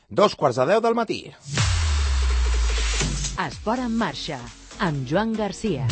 2:15 del matí. Esport en marxa, amb Joan Garcia.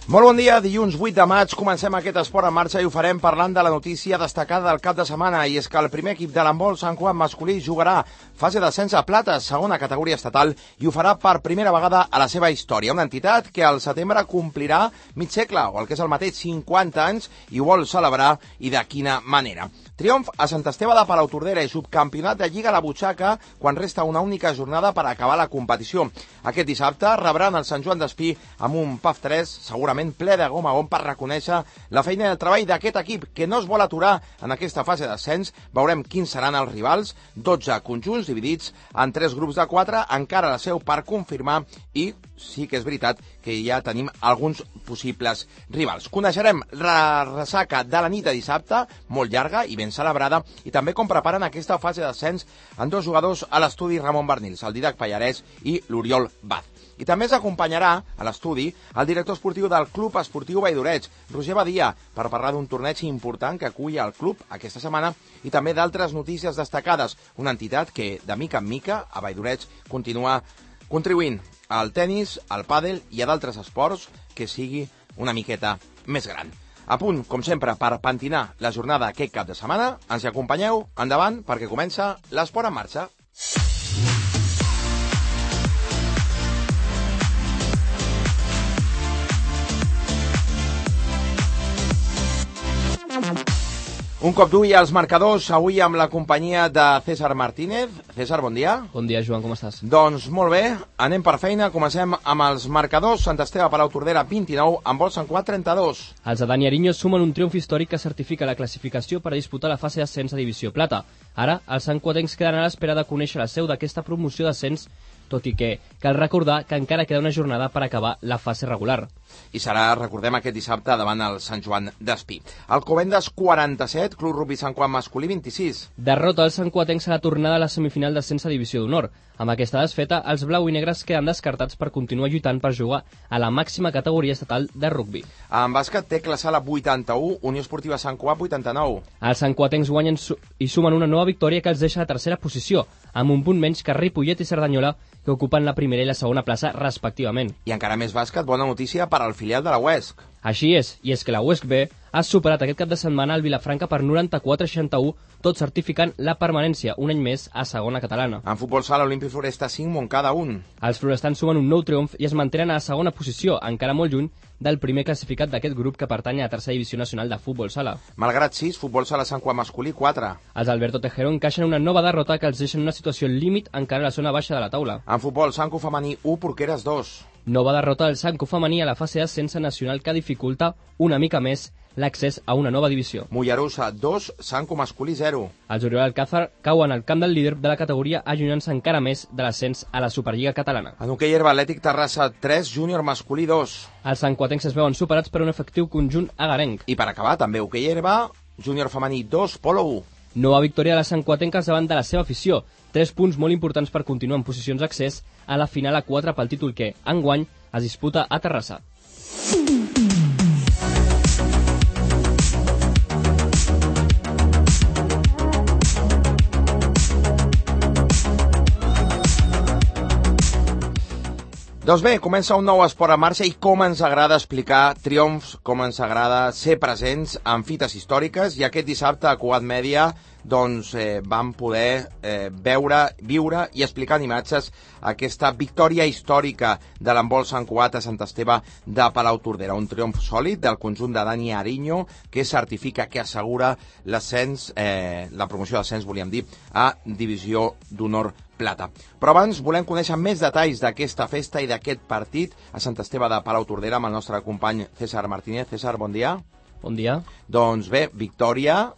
Molt bon dia, dilluns 8 de maig, comencem aquest esport en marxa i ho farem parlant de la notícia destacada del cap de setmana, i és que el primer equip de l'handbol Sant Cugat masculí jugarà fase d'ascens a plata, segona categoria estatal, i ho farà per primera vegada a la seva història. Una entitat que al setembre complirà mig segle, o el que és el mateix 50 anys, i ho vol celebrar, i de quina manera. Triomf a Sant Esteve de Palautordera i subcampionat de Lliga a la butxaca quan resta una única jornada per acabar la competició. Aquest dissabte rebran el Sant Joan d'Espí amb un PAF 3 segurament ple de gom a gom per reconèixer la feina i el treball d'aquest equip que no es vol aturar en aquesta fase d'ascens. Veurem quins seran els rivals, 12 conjunts dividits en 3 grups de 4, encara la seu per confirmar, i sí que és veritat que ja tenim alguns possibles rivals. Coneixerem la ressaca de la nit de dissabte, molt llarga i ben celebrada, i també com preparen aquesta fase d'ascens en 2 jugadors a l'estudi Ramon Bernils, el Didac Pallarès i l'Oriol Baz. I també ens acompanyarà a l'estudi el director esportiu del Club Esportiu Valldoreig, Roger Badia, per parlar d'un torneig important que acull el club aquesta setmana i també d'altres notícies destacades. Una entitat que, de mica en mica, a Valldoreig continua contribuint al tennis, al pàdel i a d'altres esports que sigui una miqueta més gran. A punt, com sempre, per pentinar la jornada aquest cap de setmana, ens hi acompanyeu, endavant, perquè comença l'Esport en marxa. Un cop d'ull als marcadors, avui amb la companyia de César Martínez. César, bon dia. Bon dia, Joan, com estàs? Doncs molt bé, anem per feina. Comencem amb els marcadors. Sant Esteve Palautordera 29, handbol Sant Cugat 32. Els de Dani Ariño sumen un triomf històric que certifica la classificació per a disputar la fase d'ascens a Divisió Plata. Ara, els santcuatencs queden a l'espera de conèixer la seu d'aquesta promoció d'ascens, tot i que cal recordar que encara queda una jornada per acabar la fase regular. I serà, recordem, aquest dissabte davant el Sant Joan d'Espí. Alcobendas 47, Club Rugby Sant Cugat masculí 26. Derrota els santcuatencs a la tornada a la semifinal d'ascens a Divisió d'Honor. Amb aquesta desfeta, els blau i negres queden descartats per continuar lluitant per jugar a la màxima categoria estatal de rugby. En bàsquet, Tecla Sala 81, Unió Esportiva Sant Cugat 89. Els santcuatencs guanyen i sumen una nova victòria que els deixa a tercera posició, amb un punt menys que Ripollet i Cerdanyola, que ocupen la primera i la segona plaça respectivament. I encara més bàsquet, bona notícia per al filial de la UESC. Així és, i és que la UESC B ha superat aquest cap de setmana el Vilafranca per 94-61, tot certificant la permanència un any més a segona catalana. En futbol sala, Olímpic Floresta 5, Montcada 1. Els florestans sumen un nou triomf i es mantenen a la segona posició, encara molt lluny del primer classificat d'aquest grup que pertany a la tercera divisió nacional de futbol sala. Malgrat 6, futbol sala Sant Cugat masculí 4. Els Alberto Tejero encaixen una nova derrota que els deixa en una situació límit encara a la zona baixa de la taula. En futbol, Sanco femení 1, Porqueres 2. Nova derrota del Sanco femení a la fase d'ascens nacional que dificulta una mica més l'accés a una nova divisió. Mollerussa 2, Sanco masculí 0. Els Oriol Alcázar cauen al camp del líder de la categoria, allunyant-se encara més de l'ascens a la Superliga catalana. En hoquei herba, Atlètic Terrassa 3, Júnior masculí 2. Els santcuatencs es veuen superats per un efectiu conjunt agarenc. I per acabar, també hoquei herba, Júnior femení 2, Polo 1. Nova victòria de les santcuatenques davant de la seva afició. 3 punts molt importants per continuar en posicions d'accés a la final a 4 pel títol que, enguany, es disputa a Terrassa. Doncs bé, comença un nou esport en marxa i com ens agrada explicar triomfs, com ens agrada ser presents en fites històriques, i aquest dissabte a Cugat Mèdia vam poder viure i explicar en imatges aquesta victòria històrica de l'handbol Sant Cugat a Sant Esteve de Palautordera. Un triomf sòlid del conjunt de Dani Ariño que certifica, que assegura l'ascens, la promoció d'ascens, volíem dir, a Divisió d'Honor Plata. Però abans volem conèixer més detalls d'aquesta festa i d'aquest partit a Sant Esteve de Palautordera amb el nostre company César Martínez. César, bon dia. Bon dia. Doncs bé, victòria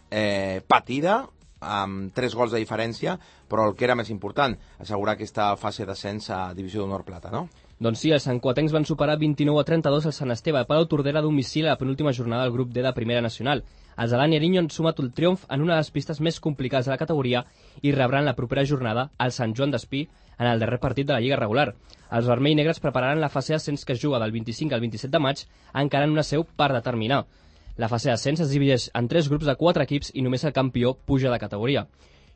patida, amb 3 gols de diferència, però el que era més important, assegurar aquesta fase d'ascens a Divisió d'Honor Plata, no? Doncs sí, els santcuatencs van superar 29-32 al Sant Esteve de Palau-Tordera a domicili a la penúltima jornada del grup D de Primera Nacional. Els de Dani Ariño han sumat el triomf en una de les pistes més complicades de la categoria i rebran la propera jornada al Sant Joan d'Espí en el darrer partit de la Lliga regular. Els vermell i negres prepararan la fase d'ascens que es juga del 25 al 27 de maig, encara en una seu per determinar. La fase d'ascens es divideix en 3 grups de 4 equips i només el campió puja de categoria.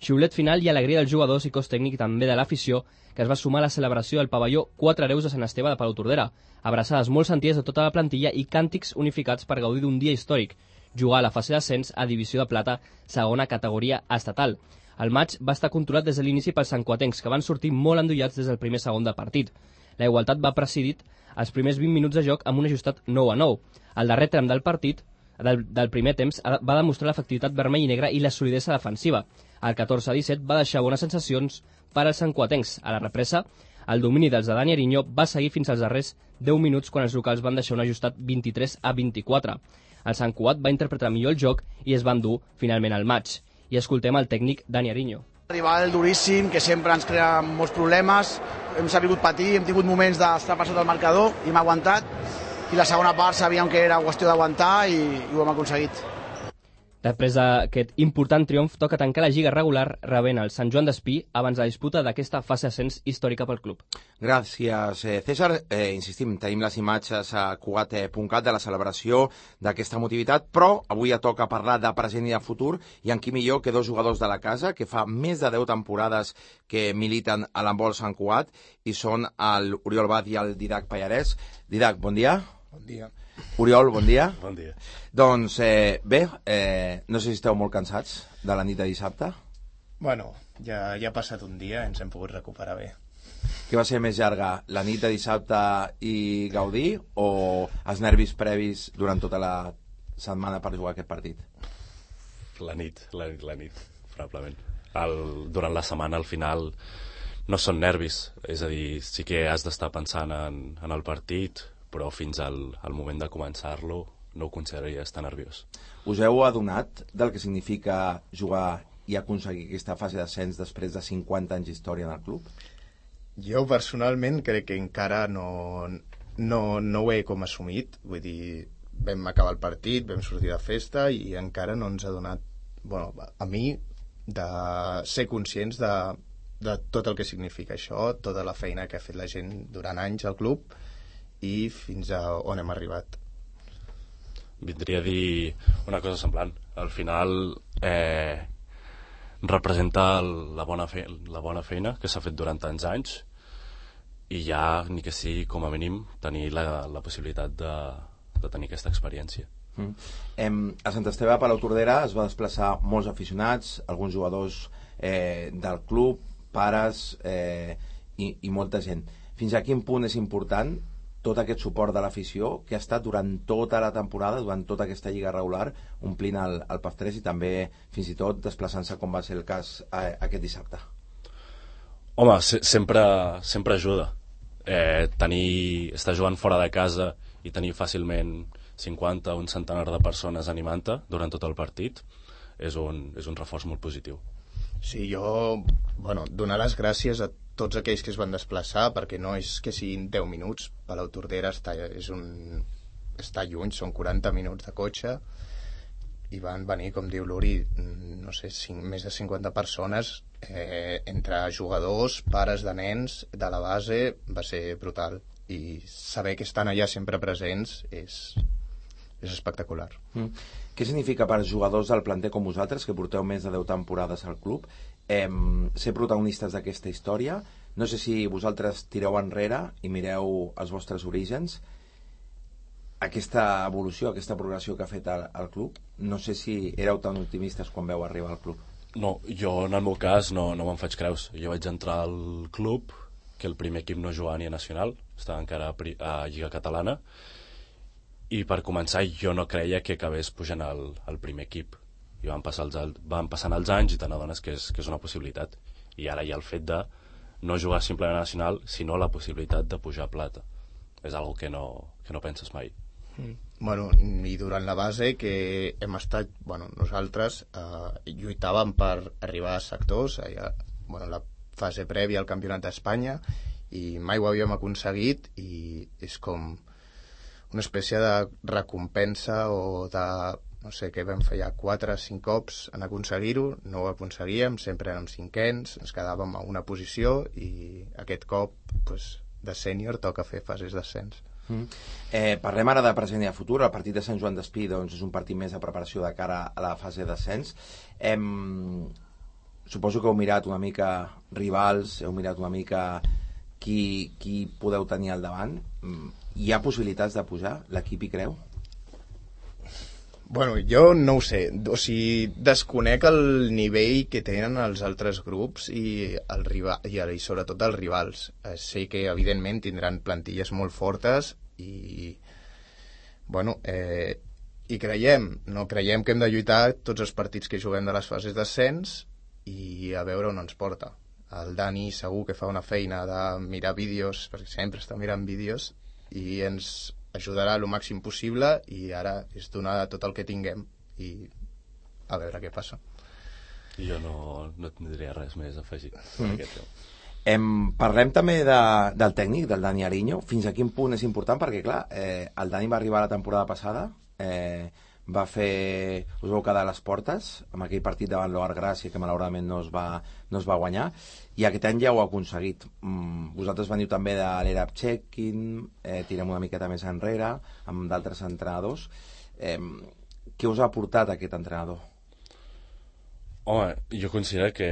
Xiulet final i alegria dels jugadors i cos tècnic també de l'afició, que es va sumar a la celebració del pavelló 4 hereus de Sant Esteve de Palau-Tordera, abraçades molt sentides de tota la plantilla i càntics unificats per gaudir d'un dia històric, jugar a la fase d'ascens a Divisió de Plata, segona categoria estatal. El maig va estar controlat des de l'inici pels santcuatencs, que van sortir molt endollats des del primer segon de partit. La igualtat va presidir els primers 20 minuts de joc amb un ajustat 9-9. El darrer tram del partit, del primer temps, va demostrar l'efectivitat vermell i negra i la solidesa defensiva. El 14-17 va deixar bones sensacions per als santcuatencs. A la represa, el domini dels de Dani Ariño va seguir fins als darrers 10 minuts quan els locals van deixar un ajustat 23-24. El Sant Cugat va interpretar millor el joc i es va endur finalment al maig. I escoltem el tècnic Dani Ariño. Rival duríssim, que sempre ens crea molts problemes, hem sabut patir, hem tingut moments d'estar per sota del marcador i hem aguantat, i la segona part sabíem que era qüestió d'aguantar i ho hem aconseguit. Després d'aquest important triomf, toca tancar la lliga regular rebent el Sant Joan d'Espí abans de la disputa d'aquesta fase d'ascens històrica pel club. Gràcies, César. Insistim, tenim les imatges a Cugat.cat de la celebració d'aquesta motivitat, però avui ja toca parlar de present i de futur, i en qui millor que dos jugadors de la casa que fa més de 10 temporades que militen a l'handbol Sant Cugat, i són l'Oriol Bad i el Didac Pallarès. Didac, bon dia. Bon dia. Oriol, bon dia. Bon dia. Doncs bé, no sé si esteu molt cansats de la nit de dissabte. Bueno, ja ha passat un dia, ens hem pogut recuperar bé. Què va ser més llarga, la nit de dissabte i gaudir, o els nervis previs durant tota la setmana per jugar aquest partit? La nit, probablement. Durant la setmana, al final, no són nervis. És a dir, sí que has d'estar pensant en el partit, però fins al moment de començar-lo no ho consideraries tan nerviós. Us heu adonat del que significa jugar i aconseguir aquesta fase d'ascens després de 50 anys d'història en el club? Jo personalment crec que encara no ho he com assumit. Vull dir, vam acabar el partit, vam sortir de festa i encara no ens ha donat, bueno, a mi, de ser conscients de tot el que significa això, tota la feina que ha fet la gent durant anys al club i fins a on hem arribat. Vindria a dir una cosa semblant. Al final representa la bona feina que s'ha fet durant tants anys, i ja, ni que sigui com a mínim, tenir la possibilitat de tenir aquesta experiència. A Sant Esteve de Palau-Tordera es va desplaçar molts aficionats, alguns jugadors del club, pares i molta gent. Fins a quin punt és important tot aquest suport de l'afició que ha estat durant tota la temporada, durant tota aquesta lliga regular, omplint el PAF 3 i també fins i tot desplaçant-se, com va ser el cas aquest dissabte? Home, sempre ajuda. Estar jugant fora de casa i tenir fàcilment 50 o un centenar de persones animant-te durant tot el partit és un reforç molt positiu. Sí, jo, donar les gràcies a tots aquells que es van desplaçar, perquè no és que siguin 10 minuts. Palau-Tordera està lluny, són 40 minuts de cotxe, i van venir, com diu l'Uri, no sé, més de 50 persones, entre jugadors, pares de nens, de la base, va ser brutal. I saber que estan allà sempre presents és espectacular. Què significa per jugadors del planter com vosaltres, que porteu més de 10 temporades al club, ser protagonistes d'aquesta història? No sé si vosaltres tireu enrere i mireu els vostres orígens, aquesta evolució, aquesta progressió que ha fet el club. No sé si éreu tan optimistes quan veu arribar al club. No, jo en el meu cas no me'n faig creus. Jo vaig entrar al club, que el primer equip no jugava ni a Nacional, estava encara a Lliga Catalana, i per començar jo no creia que acabés pujant al primer equip, i van passant els anys i te n'adones que és una possibilitat, i ara hi ha el fet de no jugar simplement a Nacional, sinó la possibilitat de pujar a Plata. És algo que no penses mai. I durant la base que hem estat, nosaltres lluitàvem per arribar a sectors, la fase prèvia al Campionat d'Espanya, i mai ho havíem aconseguit, i és com una espècie de recompensa o de, no sé, què vam fer ja 4 o 5 cops en aconseguir-ho, no ho aconseguíem, sempre érem cinquens, ens quedàvem a una posició, i aquest cop pues, de sènior toca fer fases d'ascens. Parlem ara de present i de futur. El partit de Sant Joan d'Espí doncs, és un partit més de preparació de cara a la fase d'ascens. Suposo que heu mirat una mica rivals, heu mirat una mica qui podeu tenir al davant. Hi ha possibilitats de pujar? L'equip hi creu? Bueno, jo no ho sé, o sigui, desconec el nivell que tenen els altres grups i sobretot els rivals. Sé que evidentment tindran plantilles molt fortes i bueno, i no creiem que hem de lluitar tots els partits que juguem de les fases d'ascens i a veure on ens porta. El Dani segur que fa una feina de mirar vídeos, perquè sempre està mirant vídeos, i ens ajudarà el màxim possible, i ara és donar tot el que tinguem i a veure què passa. Jo no tindria res més a afegir en aquest tema. Parlem també del tècnic, del Dani Ariño. Fins a quin punt és important? Perquè clar, el Dani va arribar la temporada passada, va fer, us vau quedar a les portes amb aquell partit davant l'Oar Gràcia que malauradament no es va guanyar, i aquest any ja ho ha aconseguit. Vosaltres veniu també de l'era Checkin, tirem una miqueta més enrere amb d'altres entrenadors. Què us ha aportat aquest entrenador? Home, jo considero que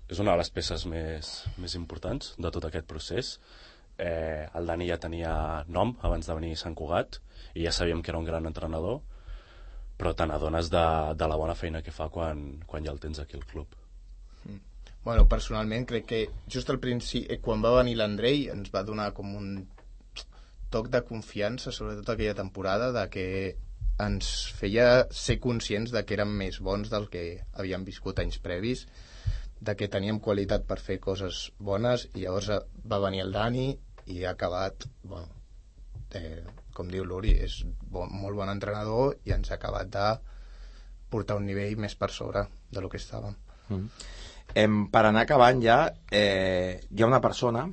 és una de les peces més importants de tot aquest procés. El Dani ja tenia nom abans de venir a Sant Cugat i ja sabíem que era un gran entrenador, però te n'adones de la bona feina que fa quan ja el tens aquí al club. Bueno, personalment crec que just al principi, quan va venir l'Andrei, ens va donar com un toc de confiança, sobretot aquella temporada, de que ens feia ser conscients de que érem més bons del que havíem viscut anys previs, de que teníem qualitat per fer coses bones, i llavors va venir el Dani i ha acabat, bueno, com diu l'Uri, és molt bon entrenador i ens ha acabat de portar un nivell més per sobre de lo que estàvem. Per anar acabant ja, hi ha una persona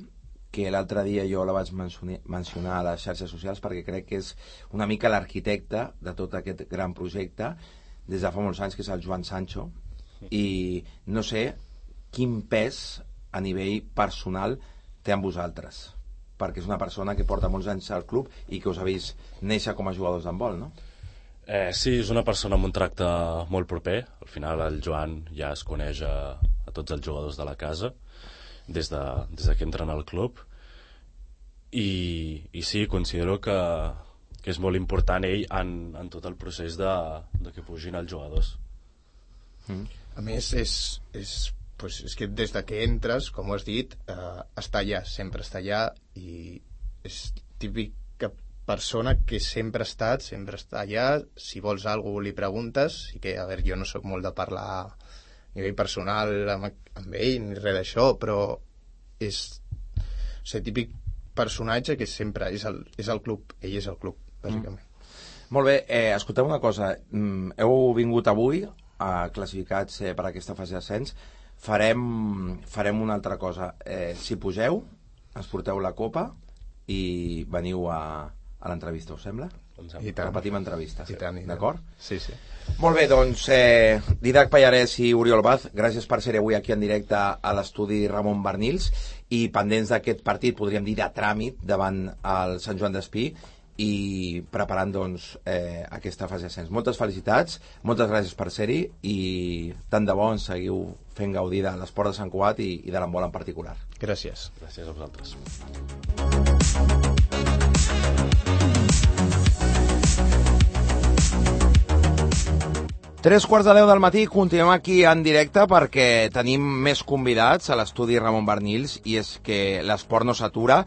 que l'altre dia jo la vaig mencionar a les xarxes socials perquè crec que és una mica l'arquitecte de tot aquest gran projecte des de fa molts anys, que és el Joan Sancho, i no sé quin pes a nivell personal té amb vosaltres, perquè és una persona que porta molts anys al club i que us ha vist néixer com a jugadors d'handbol, no? Sí, és una persona amb un tracte molt proper. Al final el Joan ja es coneix a tots els jugadors de la casa des que entren al club, i sí, considero que és molt important ell en tot el procés de que pugin els jugadors. A més, és que des de que entres, com ho has dit, està allà, sempre està allà, i és típica persona que sempre ha estat, sempre està allà. Si vols alguna cosa li preguntes, i que, a veure, jo no sóc molt de parlar a nivell personal amb ell ni res d'això, però és típic personatge que sempre és el club, ell és el club, bàsicament. Molt bé, escolteu una cosa, heu vingut avui classificats per aquesta fase d'ascens. Farem una altra cosa. Si pugeu, ens porteu la copa i veniu a l'entrevista, us sembla? I tant. Repetim entrevista, d'acord? Sí. Molt bé, doncs Didac Pallarès i Oriol Baz, gràcies per ser avui aquí en directe a l'estudi Ramon Barnils, i pendents d'aquest partit, podríem dir de tràmit, davant el Sant Joan d'Espí, i preparant doncs aquesta fase d'ascens. Moltes felicitats, moltes gràcies per ser-hi, i tant de bo ens seguiu fent gaudir de l'esport de Sant Cugat i de l'handbol en particular. Gràcies. Gràcies a vosaltres. 3:15 del matí, continuem aquí en directe perquè tenim més convidats a l'estudi Ramon Barnils, i és que l'esport no s'atura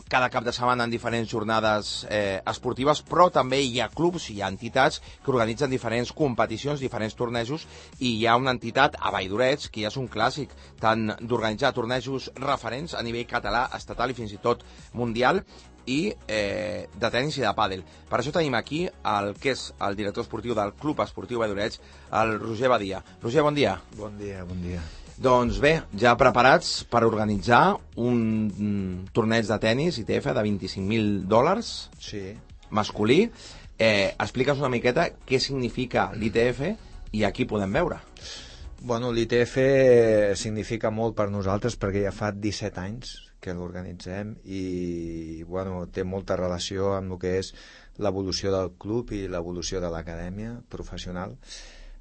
cada cap de setmana en diferents jornades esportives, però també hi ha clubs, hi ha entitats que organitzen diferents competicions, diferents tornejos, i hi ha una entitat a Valldoreix que ja és un clàssic tant d'organitzar tornejos referents a nivell català, estatal i fins i tot mundial, i de tenis i de pàdel. Per això tenim aquí el que és el director esportiu del Club Esportiu Valldoreix, el Roger Badia. Roger, bon dia. Bon dia. Doncs bé, ja preparats per organitzar un torneig de tennis ITF de $25.000 Sí. masculí. Explica'ns una miqueta què significa l'ITF i a qui podem veure. Bueno, l'ITF significa molt per nosaltres perquè ja fa 17 anys que l'organitzem i bueno, té molta relació amb el que és l'evolució del club i l'evolució de l'acadèmia professional,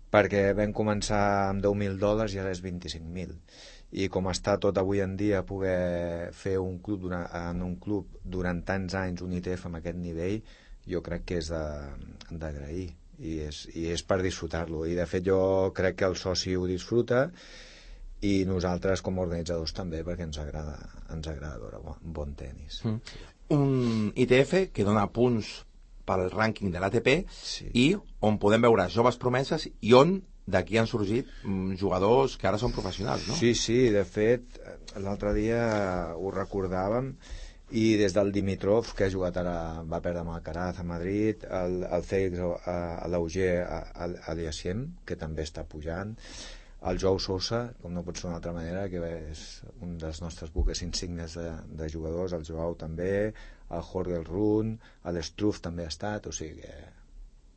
perquè vam començar amb $10.000 i ara és 25.000. I com està tot avui en dia, poder fer un club en un club durant tants anys, un ITF amb aquest nivell, jo crec que és d'agrair i és per disfrutar-lo. I de fet jo crec que el soci ho disfruta i nosaltres com a organitzadors també, perquè ens agrada veure bon tenis. Un ITF que dona punts pel rànquing de l'ATP, Sí. i on podem veure joves promeses i on d'aquí han sorgit jugadors que ara són professionals, no? Sí, de fet, l'altre dia ho recordàvem i des del Dimitrov, que ha jugat ara, va perdre amb Alcaraz a Madrid, el Félix Auger Aliassime, que també està pujant, el Joao Sosa, com no pot ser d'una altra manera, que és un dels nostres buques insignes de jugadors, el Joao també, el Jorge Run, l'Struff també ha estat, o sigui que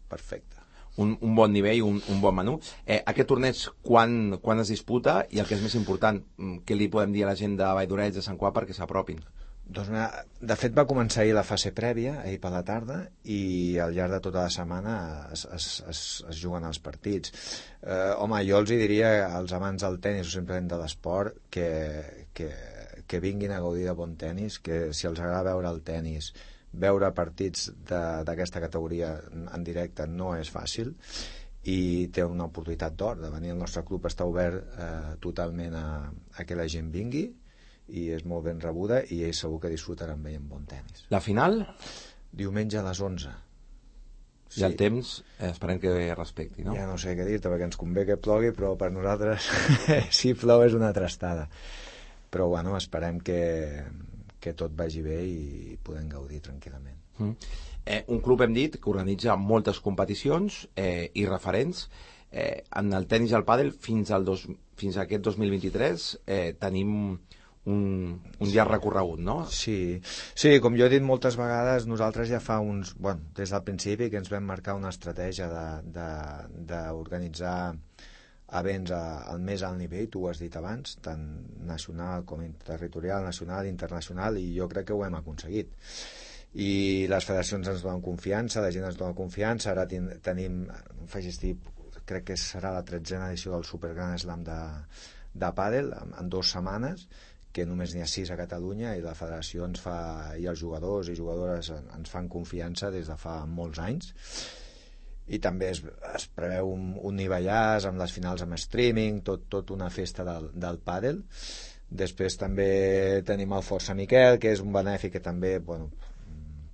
perfecte. Un bon nivell, un bon menú. Aquest torneig, quan es disputa? I el que és més important, què li podem dir a la gent de Valldoreix, de Sant Cugat, perquè s'apropin? Doncs de fet va començar ahir la fase prèvia, ahir per la tarda, i al llarg de tota la setmana es juguen els partits. Home, jo els diria als amants del tenis o simplement de l'esport que vinguin a gaudir de bon tenis, que si els agrada veure el tenis, veure partits d'aquesta categoria en directe no és fàcil i té una oportunitat d'or de venir. El nostre club està obert totalment a que la gent vingui i és molt ben rebuda i ells segur que disfrutaran bé amb bon tenis. La final? Diumenge a les 11. I el temps esperem que respecti, no? Ja no sé què dir-te perquè ens convé que plogui, però per nosaltres si plou és una trastada. Però bueno, esperem que tot vagi bé i podem gaudir tranquil·lament. Un club, hem dit, que organitza moltes competicions i referents. En el tenis i el pàdel fins a aquest 2023 tenim un llarg recorregut, no? Sí, com jo he dit moltes vegades, nosaltres ja fa des del principi que ens vam marcar una estratègia d'organitzar events al més alt nivell, tu ho has dit abans, tant nacional com territorial, nacional, internacional, i jo crec que ho hem aconseguit. I les federacions ens donen confiança, la gent ens dona confiança, ara tenim, crec que serà la 13a edició del Super Grand Slam de pàdel, en 2 setmanes, que només n'hi ha 6 a Catalunya, i la federació i els jugadors i jugadores ens fan confiança des de fa molts anys. I també es preveu un nivellàs amb les finals amb streaming, tot una festa del pàdel. Després també tenim el Força Miquel, que és un benèfic que també,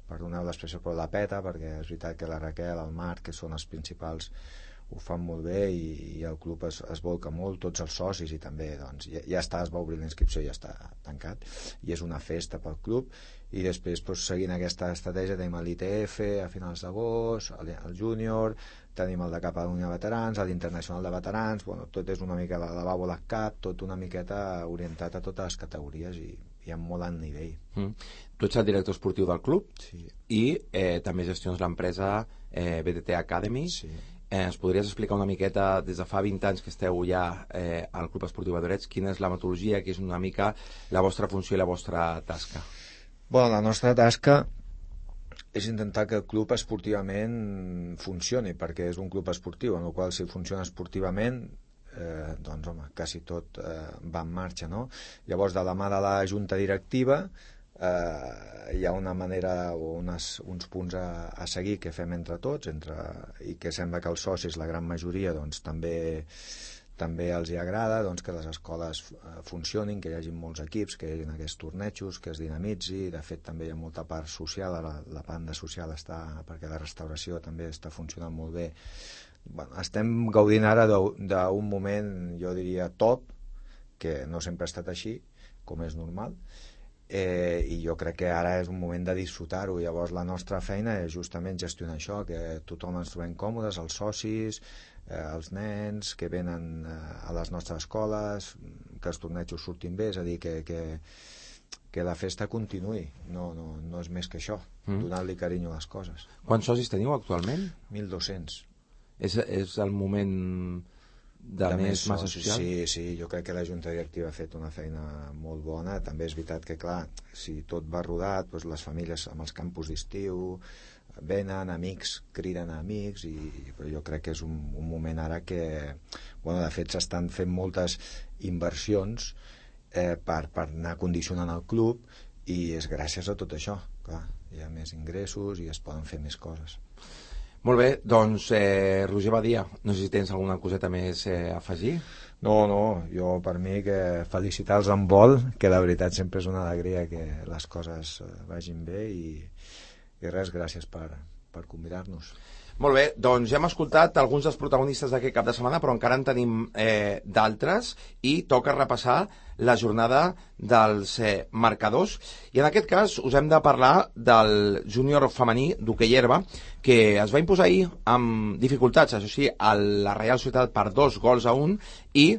perdoneu l'expressió, però la peta, perquè és veritat que la Raquel, el Marc, que són els principals, ho fan molt bé i el club es volca molt, tots els socis, i també ja està, es va obrir la inscripció i ja està tancat, i és una festa pel club. I després, seguint aquesta estratègia, tenim l'ITF a finals d'agost, el júnior, tenim el de Catalunya Veterans, l'Internacional de Veterans, tot és una mica la Bàbola Cup, tot una miqueta orientat a totes les categories i amb molt alt nivell. Tu ets el director esportiu del club, Sí. I també gestions l'empresa BTT Academy. Sí. Ens podries explicar una miqueta, des de fa 20 anys que esteu ja al Club Esportiu Valldoreix, quina és la metodologia, que és una mica la vostra funció i la vostra tasca? La nostra tasca és intentar que el club esportivament funcioni, perquè és un club esportiu, en el qual si funciona esportivament quasi tot va en marxa, no? Llavors, de la mà de la junta directiva hi ha una manera o uns punts a seguir que fem entre tots, i que sembla que els socis, la gran majoria, també els hi agrada, que les escoles funcionin, que hi hagi molts equips, que hi hagi aquests tornejos, que es dinamitzi. De fet, també hi ha molta part social, la banda social està, perquè la restauració també està funcionant molt bé. Estem gaudint ara d'un moment, jo diria, top, que no sempre ha estat així, com és normal, i jo crec que ara és un moment de disfrutar-ho. Llavors la nostra feina és justament gestionar això, que tothom ens trobem còmodes, els socis, els nens que venen a les nostres escoles, els tornejos surtin bé, és a dir, que la festa continuï, no és més que això, donar-li carinyo a les coses. Quants socis teniu actualment? 1.200. És el moment de més massa social? Sí, jo crec que la Junta Directiva ha fet una feina molt bona. També és veritat que, clar, si tot va rodat, doncs les famílies amb els campus d'estiu venen, amics criden a amics, però jo crec que és un moment ara que, de fet, s'estan fent moltes inversions per anar condicionant el club, i és gràcies a tot això. Clar, hi ha més ingressos i es poden fer més coses. Molt bé, doncs Roger Badia, no sé si tens alguna coseta més a afegir? No, jo per mi que felicitar els handbol, que la veritat sempre és una alegria que les coses vagin bé, i res, gràcies per convidar-nos. Molt bé, doncs ja hem escoltat alguns dels protagonistes d'aquest cap de setmana, però encara en tenim d'altres, i toca repassar la jornada dels marcadors, i en aquest cas us hem de parlar del júnior femení d'hoquei herba, que es va imposar ahir amb dificultats, això sí, a la Reial Societat per 2-1, i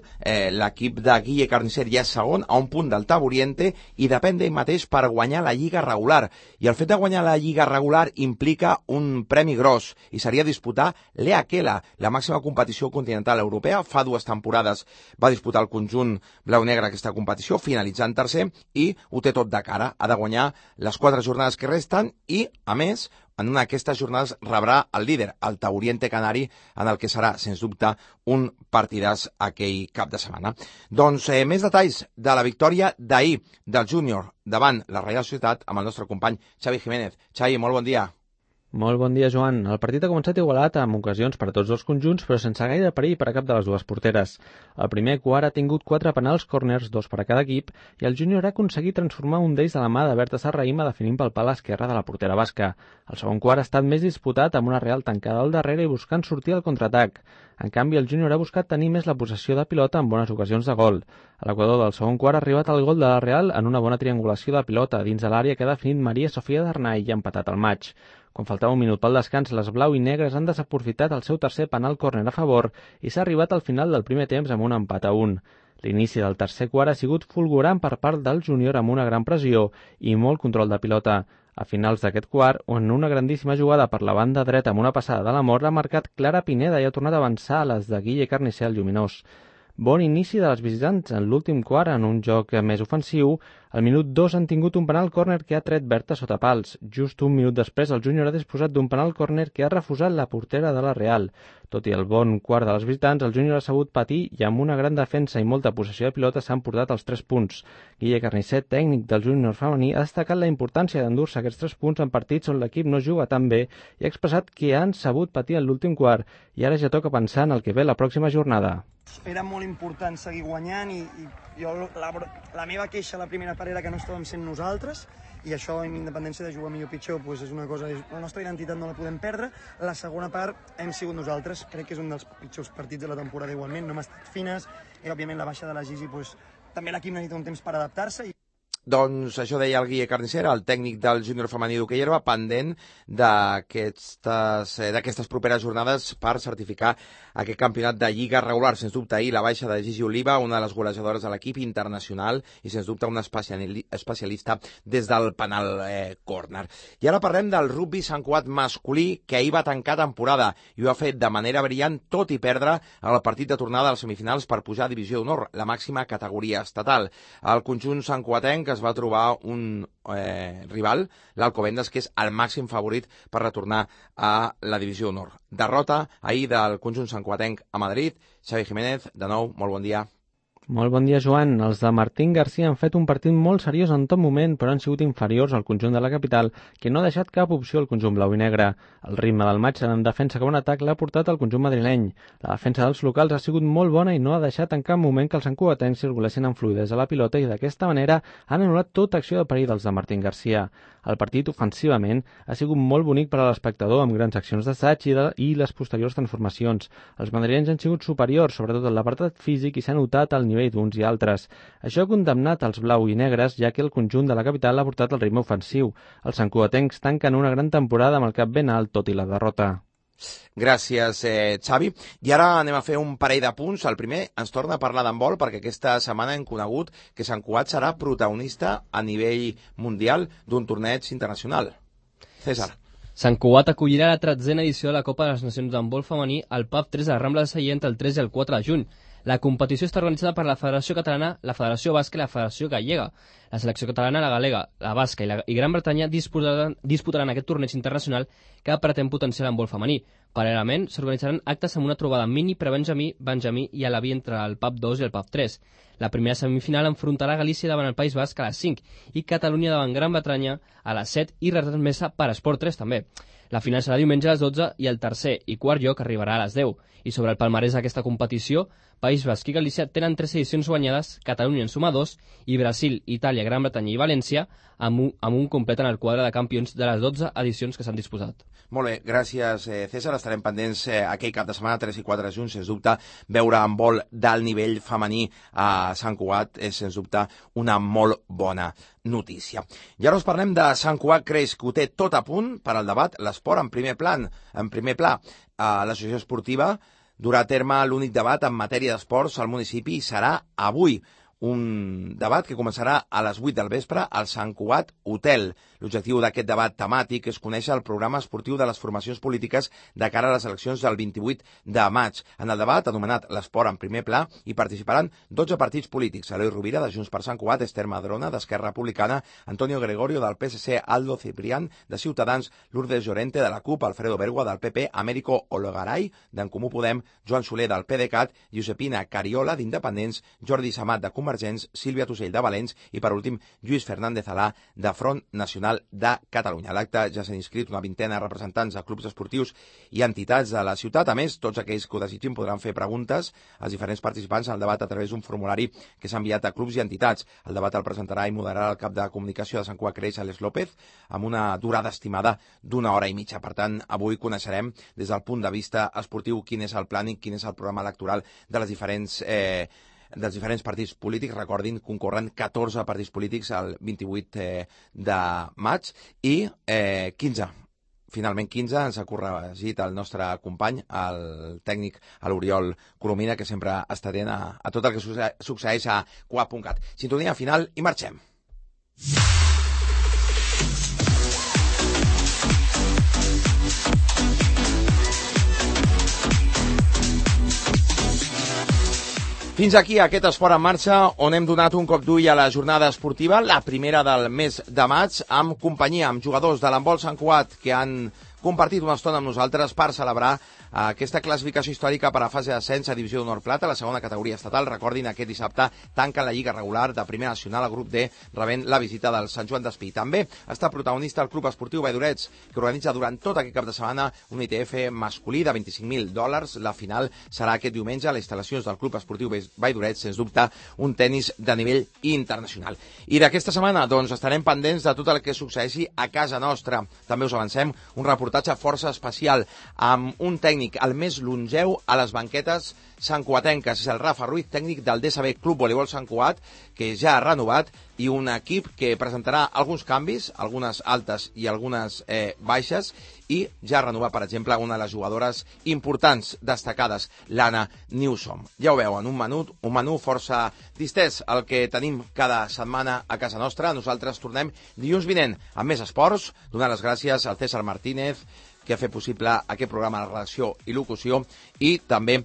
l'equip de Guille Carnicer ja és segon a un punt del Taburiente, i depèn d'ell mateix per guanyar la Lliga regular, i el fet de guanyar la Lliga regular implica un premi gros, i seria disputar l'EAQUELA, la màxima competició continental europea. Fa 2 temporades va disputar el conjunt blau-negre aquesta competició, finalitzant tercer, i ho té tot de cara. Ha de guanyar les 4 jornades que resten i, a més, en una d'aquestes jornades rebrà el líder, el Taburiente Canari, en el que serà, sens dubte, un partidàs aquell cap de setmana. Doncs més detalls de la victòria d'ahir del júnior davant la Reial Societat amb el nostre company Xavi Jiménez. Xavi, molt bon dia. Molt bon dia, Joan. El partit ha començat igualat amb ocasions per a tots dos conjunts, però sense gaire perill per a cap de les dues porteres. El primer quart ha tingut 4 penals corners, 2 per a cada equip, i el júnior ha aconseguit transformar un d'ells de la mà de Berta Serraïma definint pel pal esquerre de la portera basca. El segon quart ha estat més disputat amb una Real tancada al darrere i buscant sortir al contraatac. En canvi, el júnior ha buscat tenir més la possessió de pilota en bones ocasions de gol. A l'equador del segon quart ha arribat el gol de la Real en una bona triangulació de pilota dins de l'àrea que ha definit Maria Sofia d'Arnay i ha empatat el maig. Quan faltava un minut pel descans, les blau i negres han desaprofitat el seu tercer penal córner a favor i s'ha arribat al final del primer temps amb un empat a 1. L'inici del tercer quart ha sigut fulgurant per part del júnior amb una gran pressió i molt control de pilota. A finals d'aquest quart, en una grandíssima jugada per la banda dreta amb una passada de l'Amor, ha marcat Clara Pineda i ha tornat a avançar a les de Guille Carnicer al Lluminós. Bon inici de les visitants en l'últim quart en un joc més ofensiu. Al minut 2 han tingut un penal córner que ha tret Berta sota pals. Just un minut després el júnior ha disposat d'un penal córner que ha refusat la portera de la Real. Tot i el bon quart de les visitants, el júnior ha sabut patir i amb una gran defensa i molta possessió de pilota s'han portat els 3 punts. Guille Carnicer, tècnic del júnior femení, ha destacat la importància d'endur-se aquests 3 punts en partits on l'equip no juga tan bé i ha expressat que han sabut patir en l'últim quart i ara ja toca pensar en el que ve la pròxima jornada. Era molt important seguir guanyant i jo la meva queixa la primera part era que no estàvem sent nosaltres i això, amb independència de jugar millor o pitjor, doncs és una cosa, la nostra identitat no la podem perdre. La segona part hem sigut nosaltres, crec que és un dels pitjors partits de la temporada igualment, no hem estat fines i òbviament la baixa de la Gigi, doncs, també l'equip necessita un temps per adaptar-se. Doncs això deia el Guille Carnicer, el tècnic del júnior femení d'hoquei herba, pendent d'aquestes properes jornades per certificar aquest campionat de Lliga regular. Sens dubte ahir la baixa de Gigi Oliva, una de les golejadores de l'equip internacional i sens dubte una especialista des del penal córner. I ara parlem del rugby Sant Cugat masculí, que ahir va tancar temporada i ho ha fet de manera brillant, tot i perdre el partit de tornada a les semifinals per pujar a Divisió d'Honor, la màxima categoria estatal. El conjunt santcugatenc es va trobar un rival, l'Alcobendas, que és el màxim favorit per retornar a la Divisió d'Honor. Derrota ahir del conjunt santcugatenc a Madrid. Xavi Jiménez, de nou, molt bon dia. Molt bon dia, Joan. Els de Martín García han fet un partit molt seriós en tot moment, però han sigut inferiors al conjunt de la capital, que no ha deixat cap opció al conjunt blau i negre. El ritme del matx en defensa com en atac l'ha portat al conjunt madrileny. La defensa dels locals ha sigut molt bona i no ha deixat en cap moment que els santcugatencs circulessin amb fluidesa a la pilota i d'aquesta manera han anul·lat tota acció de perill dels de Martín García. El partit, ofensivament, ha sigut molt bonic per a l'espectador, amb grans accions d'assaig i les posteriors transformacions. Els madrilenys han sigut superiors, sobretot en l'apartat físic, i s'ha notat al nivell d'uns i altres. Això ha condemnat els blau i negres, ja que el conjunt de la capital ha portat el ritme ofensiu. Els santcugatencs tanquen una gran temporada amb el cap ben alt, tot i la derrota. Gràcies, Xavi. I ara anem a fer un parell de punts. El primer, ens torna a parlar d'handbol, perquè aquesta setmana hem conegut que Sant Cugat serà protagonista a nivell mundial d'un torneig internacional. César. Sant Cugat acollirà la 13a edició de la Copa de les Nacions d'handbol femení al PAF 3 de la Rambla de Sallent el 3 i el 4 de juny. La competició està organitzada per la Federació Catalana, la Federació Basca i la Federació Gallega. La selecció catalana, la galega, la basca i Gran Bretanya disputaran aquest torneig internacional que pretén potenciar l'handbol femení. Paral·lelament, s'organitzaran actes amb una trobada mini, prebenjamí, benjamí i a l'avi entre el PAF 2 i el PAF 3. La primera semifinal enfrontarà Galícia davant el País Basc a les 5 i Catalunya davant Gran Bretanya a les 7 i retransmesa per Esport 3 també. La final serà diumenge a les 12 i el tercer i quart lloc arribarà a les 10. I sobre el palmarès d'aquesta competició, País Basc i Galícia tenen 3 edicions guanyades, Catalunya en suma 2 i Brasil, Itàlia, Gran Bretanya i València amb un complet en el quadre de campions de les 12 edicions que s'han disposat. Molt bé, gràcies, César. Estarem pendents aquell cap de setmana, 3 i 4 de juny, sens dubte, veure handbol d'alt nivell femení a Sant Cugat és, sens dubte, una molt bona notícia. I ara us parlem de Sant Cugat Creix, que ho té tot a punt per al debat, l'esport en primer pla. L'associació esportiva durà a terme l'únic debat en matèria d'esports al municipi i serà avui. Un debat que començarà a les 8 del vespre al Sant Cugat Hotel. L'objectiu d'aquest debat temàtic és conèixer el programa esportiu de les formacions polítiques de cara a les eleccions del 28 de maig. En el debat, anomenat l'esport en primer pla, hi participaran 12 partits polítics. Eloi Rovira, de Junts per Sant Cugat, Esther Madrona, d'Esquerra Republicana, Antonio Gregorio, del PSC, Aldo Ciprián, de Ciutadans, Lourdes Llorente, de la CUP, Alfredo Bergua, del PP, Américo Olegaray, d'en Comú Podem, Joan Soler, del PDeCAT, Josepina Cariola, d'Independents, Jordi Samat, de Convergents, Sílvia Tusell, de Valents i, per últim, Lluís Fernández Alà, de Front Nacional de Catalunya. A l'acte ja s'han inscrit una vintena de representants de clubs esportius i entitats de la ciutat. A més, tots aquells que ho desitgin podran fer preguntes als diferents participants al debat a través d'un formulari que s'ha enviat a clubs i entitats. El debat el presentarà i moderarà el cap de comunicació de Sant Cugat Creix, Àlex López, amb una durada estimada d'1 hora i mitja. Per tant, avui coneixerem des del punt de vista esportiu quin és el plànic, quin és el programa electoral de les dels diferents partits polítics. Recordin, concorren 14 partits polítics el 28 de maig i 15. Finalment 15 ens ha corregit el nostre company, el tècnic, l'Oriol Colomina, que sempre està atent a tot el que succeeix a Cugat.cat. Sintonia final i marxem. Fins aquí aquest esport en marxa, on hem donat un cop d'ull a la jornada esportiva, la primera del mes de maig, amb companyia, amb jugadors de l'handbol Sant Cugat que han compartit una estona amb nosaltres per celebrar aquesta classificació històrica per a fase d'ascens a Divisió d'Honor Plata, la segona categoria estatal. Recordin, aquest dissabte tanquen la Lliga regular de Primera Nacional al grup D, rebent la visita del Sant Joan d'Espí. També està protagonista el Club Esportiu Valldoret, que organitza durant tot aquest cap de setmana un ITF masculí de $25.000. La final serà aquest diumenge a les instal·lacions del Club Esportiu Valldoret, sens dubte un tennis de nivell internacional. I d'aquesta setmana, doncs, estarem pendents de tot el que succeeixi a casa nostra. També us avancem un reportatge força especial amb un tècnic, el més longeu a les banquetes santcuatenques. És el Rafa Ruiz, tècnic del DSB Club Voleibol Sant Cugat, que ja ha renovat, i un equip que presentarà alguns canvis, algunes altes i algunes baixes, i ja ha renovat, per exemple, una de les jugadores importants, destacades, l'Anna Newsom. Ja ho veuen, un menú força distès, el que tenim cada setmana a casa nostra. Nosaltres tornem dilluns vinent amb més esports, donant les gràcies al César Martínez, que ha fet possible aquest programa de redacció i locució, i també,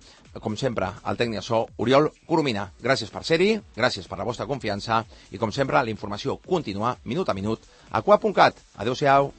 com sempre, el tècnic de so, Oriol Coromina. Gràcies per ser-hi, gràcies per la vostra confiança, i com sempre, la informació continua, minut a minut, a Cugat.cat. Adéu-siau.